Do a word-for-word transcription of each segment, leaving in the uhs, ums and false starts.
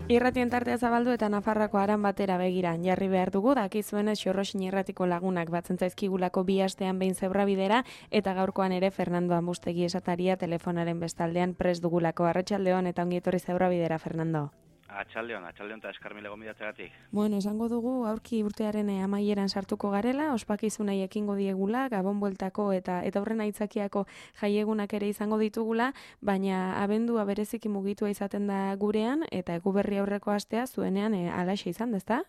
Irratien tartea zabaldu eta Nafarroako aran batera begira jarri behar dugu, dakizuenez Xorroxin irratiko lagunak batzen zaizkigulako bi astean behin zebrabidera, eta gaurkoan ere Fernando Ambustegi esataria telefonaren bestaldean prest dugulako. Arratsaldeon eta ongi etorri zebrabidera, Fernando. Atxaldeon, atxaldeon eta eskarmile gomidatzegatik. Bueno, esango dugu aurki urtearen eh, amaieran sartuko garela, ospakizunai ekingo diegula, Gabon bueltako eta eta horren aitzakiako jaiegunak ere izango ditugula, baina abendua bereziki mugitua izaten da gurean, eta eguberri aurreko astea zuenean e, alaxe izan, ezta?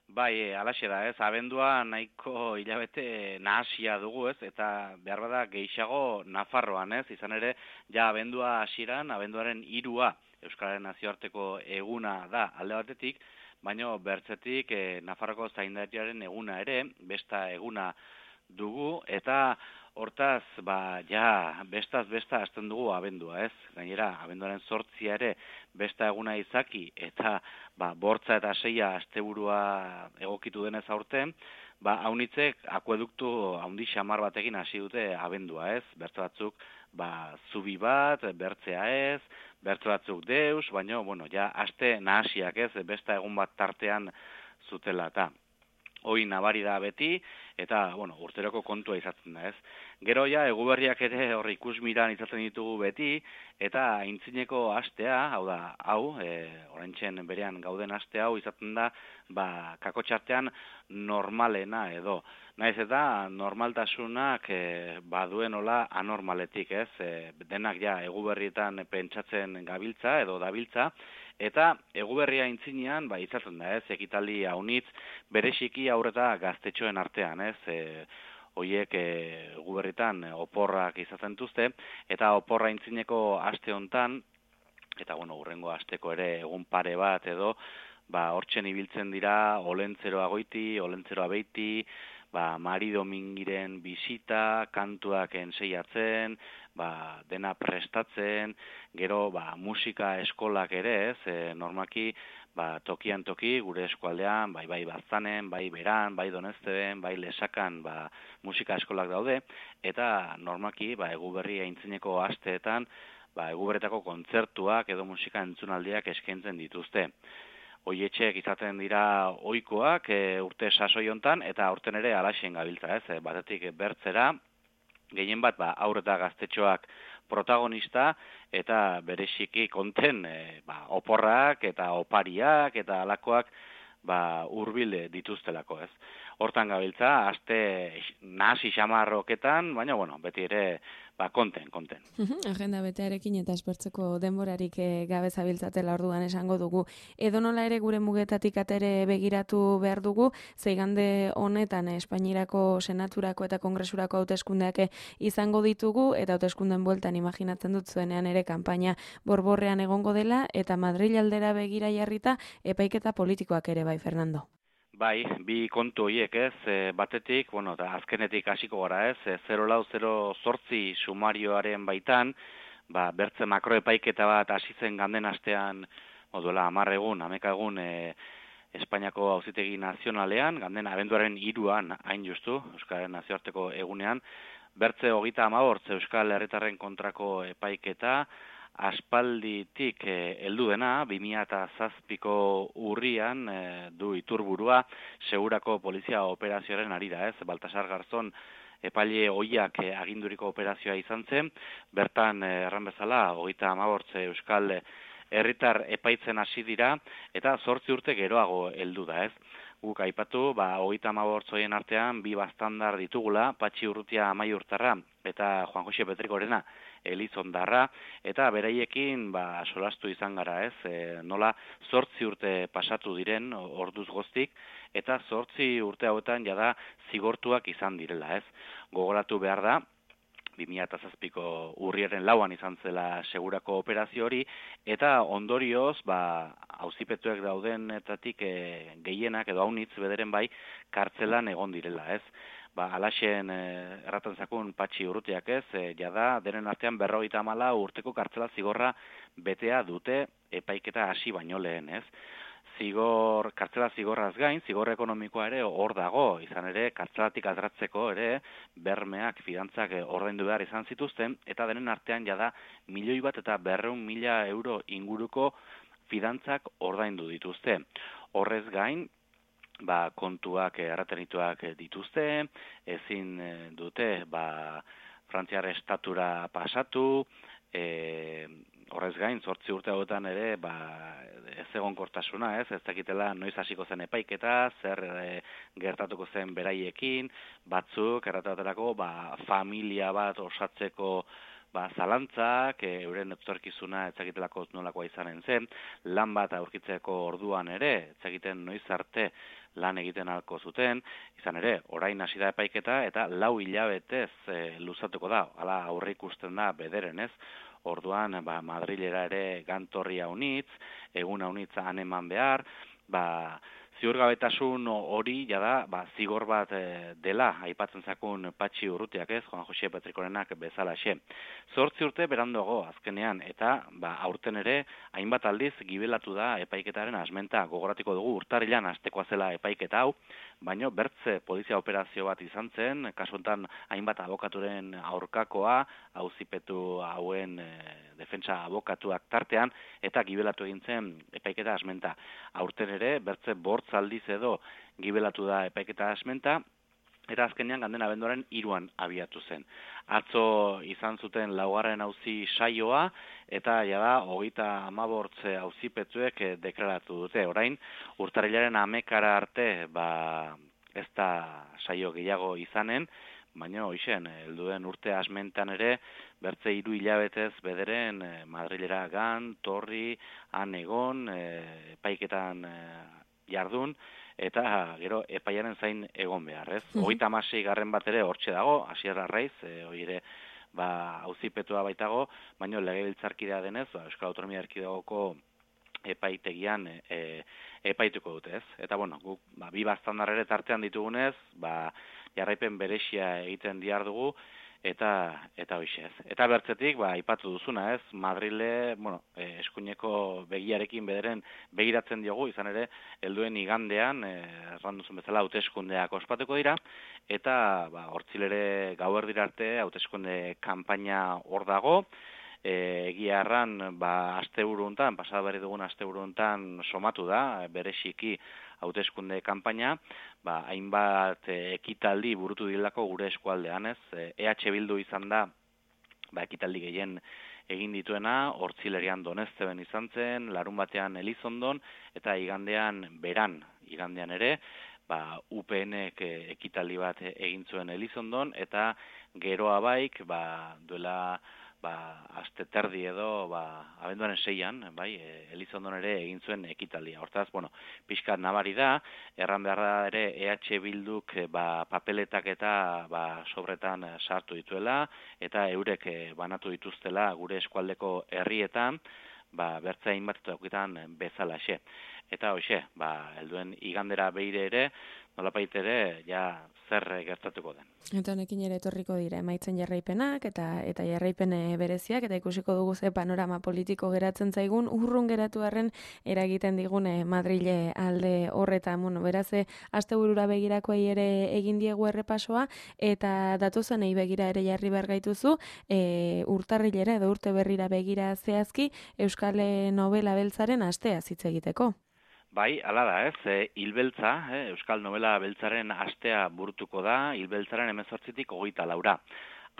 Bai, e, alaxe da, ez, abendua nahiko hilabete nahasia dugu, ez, eta behar bada gehiago Nafarroan, ez, izan ere, ja abendua hasieran, abenduaren hirua Euskararen nazioarteko eguna da alde batetik, baina bertzetik e, Nafarroko zaindariaren eguna ere, besta eguna dugu, eta hortaz, ba, ja, bestaz besta hasten dugu abendua, ez? Gainera, abenduaren zortzia ere besta eguna izaki, eta ba, bortza eta seia asteburua egokitu denez aurten, ba, haunitzek akueduktu haundi xamar batekin hasi dute abendua, ez? Bertze batzuk, ba, zubi bat, bertzea ez, bertze batzuk deus, baina, bueno, ja, aste nahasiak, ez? Besta egun bat tartean zutela, eta hoi nabari da beti, eta, bueno, urteroko kontua izaten da, ez? Gero ja, eguberriak ere horri ikusmiran izaten ditugu beti, eta aintzineko astea, hau da, hau, e, oraintzen berean gauden aste hau izaten da, ba, kakotxartean normalena edo. Naiz eta normaltasunak e, baduen hola anormaletik, ez? E, denak ja, eguberrietan pentsatzen gabiltza edo dabiltza, eta eguberria aintzinean, ba, izaten da, ez? Ekitaldi haunitz, bereziki aurreta gaztetxoen artean, ez? E, Hoiek e, guberritan oporrak izaten duzte, eta oporra aintzineko aste hontan, eta bueno, hurrengo asteko ere egun pare bat edo, ba, hortzen ibiltzen dira olentzeroa goiti, olentzeroa beiti, ba, Mari Domingiren bisita, kantuak enseiatzen, ba, dena prestatzen, gero ba, musika eskolak ere ez, e, normalki, ba, tokian toki, gure eskualdean, bai bai Baztanen, bai Beran, bai Donezteben, bai Lesakan, ba, musika eskolak daude, eta normalki, ba, eguberri aintzineko asteetan, ba, eguberretako kontzertuak edo musika entzunaldiak eskaintzen dituzte. Hoietxeek izaten dira ohikoak e, urte sasoi hontan, eta aurten ere alaxen gabiltza, ez, e, batetik bertzera, gehien bat, ba, aur eta gaztetxoak protagonista, eta bereziki konten e, ba, oporrak eta opariak eta alakoak ba, hurbil dituztelako, ez. Hortan gabiltza, aste nahasi xamarroketan, baina, bueno, beti ere, ba, konten, konten. Agenda betearekin eta espertzeko denborarik e, gabe zabiltzatela orduan esango dugu. Edo nola ere gure mugetatik atere begiratu behar dugu, zeigande honetan Espainiarako senaturako eta kongresurako hauteskundeak izango ditugu, eta hauteskunden bueltan imaginatzen dut zuenean ere kanpaina borborrean egongo dela, eta Madril aldera begira jarrita epaiketa politikoak ere bai, Fernando. Bai, bi kontu horiek ez, e, batetik, bueno, eta azkenetik hasiko gara ez, e, zero lau zero zortzi sumarioaren baitan, ba, bertze makroepaiketa bat hasi zen ganden astean, moduela hamar egun, hameka egun, e, Espainiako Auzitegi Nazionalean, ganden abenduaren hiruan hain justu, Euskararen nazioarteko egunean, bertze hogeita hamabortz Euskal Herritarren kontrako epaiketa, aspalditik heldu dena, bi mila zazpiko urrian e, du iturburua segurako polizia operazioaren harira, ez? Baltasar Garzon epaile ohiak e, aginduriko operazioa izan zen, bertan e, erran bezala, hogeita hamabortz Euskal Herritar epaitzen hasi dira, eta zortzi urte geroago heldu da, ez? Guk aipatu, ba, hogeita hamabortz horien artean, bi bastandar ditugula, Patxi Urrutia Amaiurtarra eta Juan Jose Petrikorena Elizondarra, eta beraiekin ba, solastu izan gara, ez? E, nola zortzi urte pasatu diren orduz goztik, eta zortzi urte hauetan jada zigortuak izan direla, ez? Gogoratu behar da, bi mila zazpiko urriaren lauan izan zela segurako operazio hori, eta ondorioz, ba, auzipetuek daudenetatik e, gehienak edo haunitz bederen bai kartzelan egon direla, ez? Ba, alaxen e, erraten zakun Patxi Urrutiak ez, e, jada denen artean berrogeita hamala urteko kartzela zigorra betea dute epaiketa hasi baino lehen, ez? Zigor, kartzela zigorraz gain, zigor ekonomikoa ere hor dago, izan ere, kartzelatik atratzeko ere, bermeak, fidantzak ordaindu behar izan zituzten, eta denen artean jada milioi bat eta berreun mila euro inguruko fidantzak ordaindu dituzte. Horrez gain, ba, kontuak erratenituak dituzte, ezin dute ba, Frantziar estatura pasatu, e, horrez gain, zortzi urte hauetan ere, ba, ez egonkortasuna, ez, ez dakitela noiz hasiko zen epaiketa, zer e, gertatuko zen beraiekin, batzuk, errataterako, ba, familia bat osatzeko ba, zalantzak, e, euren etorkizuna etzakitelako nolakoa izanen zen, lan bat aurkitzeko orduan ere, etzakiten noiz arte lan egiten halko zuten, izan ere, orain hasi da epaiketa eta lau hilabetez e, luzatuko da, hala aurre ikusten da bederen, ez? Orduan, ba, Madrilera ere gantorria unitz, egun unitz han eman behar, ba, ziurgabetasun hori jada, ba, zigor bat e, dela, aipatzen zakun Patxi Urrutiak ez, Juan Jose Petrikorenak bezalaxe. Zortzi urte beranduago azkenean, eta ba, aurten ere, hainbat aldiz gibelatu da epaiketaren asmenta, gogoratiko dugu urtarrilan hastekoa zela epaiketa hau, baino bertze polizia operazio bat izan zen, kasuntan hainbat abokaturen aurkakoa, auzipetu hauen e, defentsa abokatuak tartean, eta gibelatu egin zen epaiketa asmenta. Aurten ere, bertze bortz aldiz edo gibelatu da epaiketa asmenta, eta azkenean ganden abenduaren hiruan abiatu zen. Atzo izan zuten laugarren auzi saioa, eta jada hogeita hamabortz auzipetzuek deklaratu dute. Orain, urtarrilaren hamekara arte, ba, ez da saio gehiago izanen, baina hoixen, helduen urte asmentan ere, bertze hiru hilabetez bederen eh, Madrilera gan, torri, han egon, eh, epaiketan eh, jardun, eta gero epaiaren zain egon behar, ez? Hogeita hamasei garren bat ere hortxe dago, Asier Arraiz, e, hori ere ba, auzipetua baitago, baina legebiltzarkidea denez, ba, Euskal Autonomia Erkidegoko epaitegian e, epaituko dute, ez? Eta bueno, guk ba, bi baztandar ere tartean ditugunez, ba, jarraipen beresia egiten diar dugu, eta eta hoixe ez. Eta bertzetik, ba, aipatu duzuna, ez? Madrile, bueno, eh, eskuineko begiarekin bederen begiratzen diogu, izan ere, helduen igandean, eh, erran duzun bezala, hauteskundeak ospatuko dira, eta ba, hortzilere gauerdira arte hauteskunde kanpaina hor dago, E, egia erran, ba, asteburu hontan, pasada berri dugun asteburu hontan somatu da, bereziki hauteskunde kanpaina, ba, hainbat e, ekitaldi burutu dilako gure eskualdean, ez? E, EH Bildu izan da, ba, ekitaldi gehien egin dituena, hortzilerian Donezteben izan zen, larun batean Elizondon, eta igandean beran, igandean ere, ba, U P N-ek ekitaldi bat egin zuen Elizondon, eta geroa baik, ba, duela ba, aste terdi edo, ba, abenduaren seian, bai, Elizondon ere egin zuen ekitaldia. Hortaz, bueno, pixkat nabari da, erran behar da ere EH Bilduk ba, papeletak eta ba, sobretan sartu dituela, eta eurek banatu dituztela gure eskualdeko herrietan, ba, bertza hainbat eta okitan bezalaxe. Eta hoxe, ba, helduen igandera behire ere, nolapait ere, ja, zer gertatuko den. Eta honekin ere etorriko dira emaitzen jarraipenak eta eta jarraipen bereziak, eta ikusiko dugu ze panorama politiko geratzen zaigun, urrun geratu arren eragiten digune Madrile alde horretan. Bueno, beraz, asteburura begirakoei ere egin diegu errepasoa, eta datozenei begira ere jarri behar gaituzu, e, urtarrilera edo urte berrira begira zehazki Euskal Nobela Beltzaren astea hitz egiteko. Bai, hala da, ez, e, hilbeltza, eh, Euskal Nobela Beltzaren astea burutuko da, hilbeltzaren hemezortzitik hogeita laura.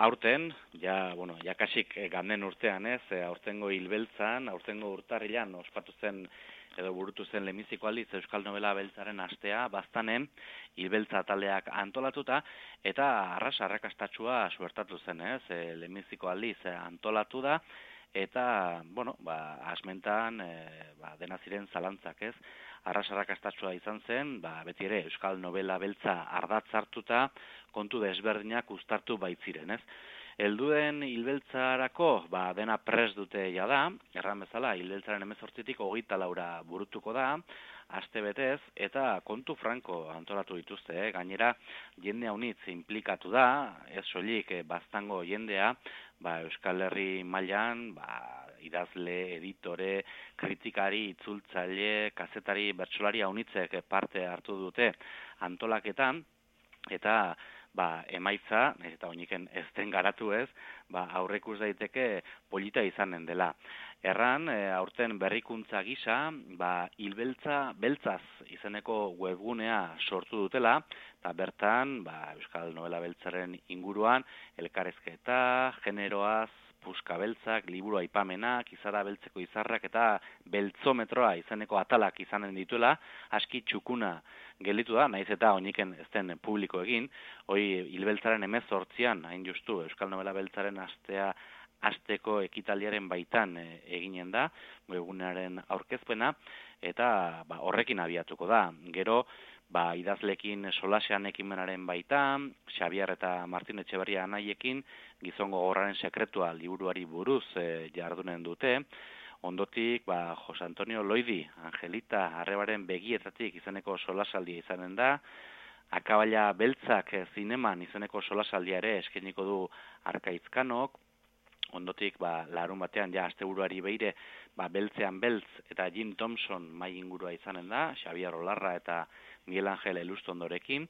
Aurten, ja, bueno, jakasik ganden urtean, ez, e, aurtengo hilbeltzan, aurtengo urtarrilan ospatu zen edo burutu zen lehenbiziko aldiz Euskal Nobela Beltzaren astea, baztanen, hilbeltza taldeak antolatuta, eta arras arrakastatsua suertatu zen, ez, e, lehenbiziko aldiz antolatu da, eta, bueno, ba, asmentan, e, ba, dena ziren zalantzak, ez? Arrasarrak astatsua izan zen, ba, beti ere Euskal Nobela Beltza ardatz hartuta, kontu desberdinak uztartu baitziren, ez? Helduen hilbeltzarako, ba, dena pres dute jada, erran bezala, hilbeltzaren hemezortzitik hogeita laura burutuko da, aste betez, eta kontu franko antolatu dituzte, eh? Gainera, jende haunitz implikatu da, ez soilik eh, baztango jendea, ba, Euskal Herri mailan, ba, idazle, editore, kritikari, itzultzaile, kazetari, bertsolari haunitzek parte hartu dute antolaketan, eta ba, emaitza, eta oiniken ez den garatu ez, ba, aurreikus daiteke polita izanen dela. Erran, e, aurten berrikuntza gisa, ba, hilbeltza beltzaz izeneko webgunea sortu dutela, eta bertan, ba, Euskal Novela Beltzaren inguruan, elkarrezketa, generoaz, puska beltzak, liburu aipamenak, izara beltzeko izarrak eta beltzometroa izeneko atalak izanen dituela, aski txukuna gelditu da, naiz eta oiniken ez den publiko egin, hoi hilbeltzaren hemezortzian, hain justu, Euskal Novela Beltzaren astea asteko ekitaldiaren baitan e, eginen da, webgunearen aurkezpena, eta ba, horrekin abiatuko da. Gero, ba, idazlekin solasean ekimenaren baitan, Xabier eta Martin Etxeberria anaiekin, gizongo gorraren sekretua liburuari buruz e, jardunen dute, ondotik, ba, Jose Antonio Loidi, Angelita Arrebaren begietatik izeneko solasaldia izanen da, Akabaila Beltzak zineman izeneko solasaldia ere eskainiko du Arkaizkanok, ondotik, ba, larun batean, ja, asteburuari beire, ba, Beltzean Beltz eta Jim Thompson mai ingurua izanen da, Xabier Olarra eta Miguel Angel Elustondorekin,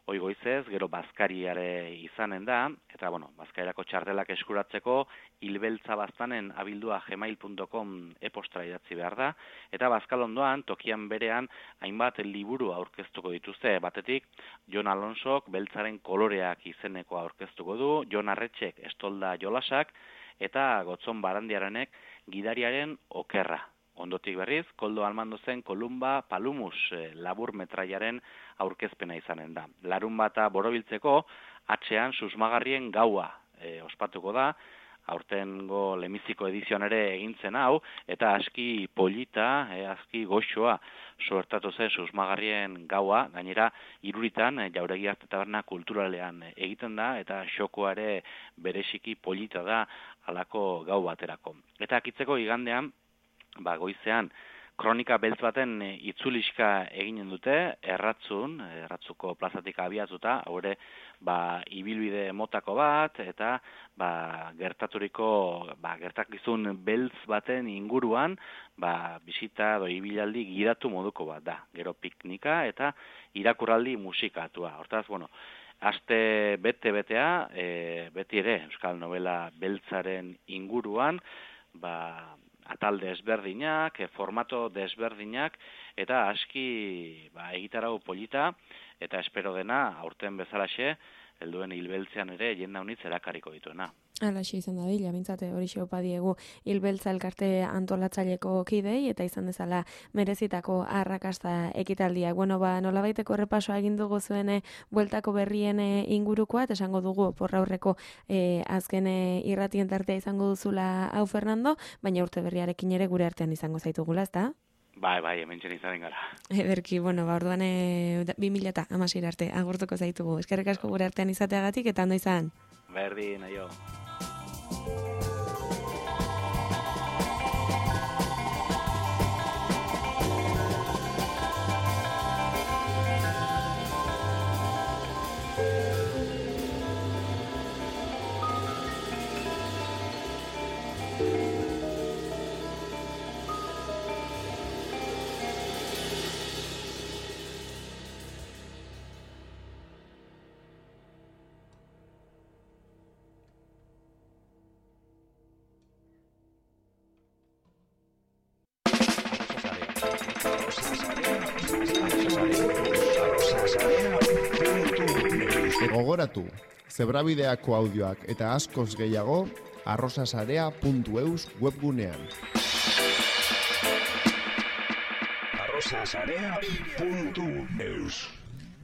hoi goizez, gero bazkariare izanen da, eta, bueno, bazkarirako txartelak eskuratzeko, hilbeltza baztanen abildua gmail punto com e-postra idatzi behar da, eta bazkalondoan, tokian berean, hainbat liburu aurkeztuko dituzte, batetik, Jon Alonsok beltzaren koloreak izeneko aurkeztuko du, Jon Arretxek estolda jolasak, eta Gotzon Barandiaranek gidariaren okerra. Ondotik berriz, Koldo Almandozen Kolumba Palumus e, labur metraiaren aurkezpena izanen da. Larun bata borobiltzeko, atxean susmagarrien gaua e, ospatuko da, aurtengo lemiziko edizioan ere egintzen hau, eta aski polita, e, aski goxoa suertatu zen susmagarrien gaua, gainera iruritan e, Jauregi Arte Taberna kulturalean egiten da, eta xokoare bereziki polita da halako gau baterako. Eta akitzeko igandean, ba, goizean, kronika beltz baten e, itzuliska eginen dute, erratzun, erratzuko plazatik abiatuta, haure, ba, ibilbide motako bat, eta ba, gertaturiko, ba, gertakizun beltz baten inguruan, ba, bisita doi ibilaldi gidatu moduko bat da. Gero piknika eta irakurraldi musikatua. Hortaz, bueno, aste bete-betea, e, beti ere, Euskal Novela Beltzaren inguruan, ba, atal desberdinak, formato desberdinak, eta aski ba, egitarau polita, eta espero dena, aurten bezalaxe, helduen hilbeltzean ere, jenda unitz erakariko dituena. Alaxe izan da bila, bintzate hori xeopa diegu hilbeltza elkarte antolatzaileko kidei, eta izan dezala merezitako arrakasta ekitaldiak. Bueno, ba, nolabaiteko errepasoa egin dugu zuen bueltako berrien ingurukoa, eta esango dugu porra aurreko e, azken irratien tartea izango duzula hau Fernando, baina urte berriarekin ere gure artean izango zaitugula, ezta? Bai, bai, hemen txen izanen gara. Ederki, bueno, ba, orduan e, bi mila eta hamasei arte agurtuko zaitugu. Eskerrik asko gure artean izateagatik, eta ondo izan. Berdin, aio. Gogoratu, zebrabideako audioak eta askoz gehiago arrosasarea puntu eus webgunean. arrosasarea puntu eus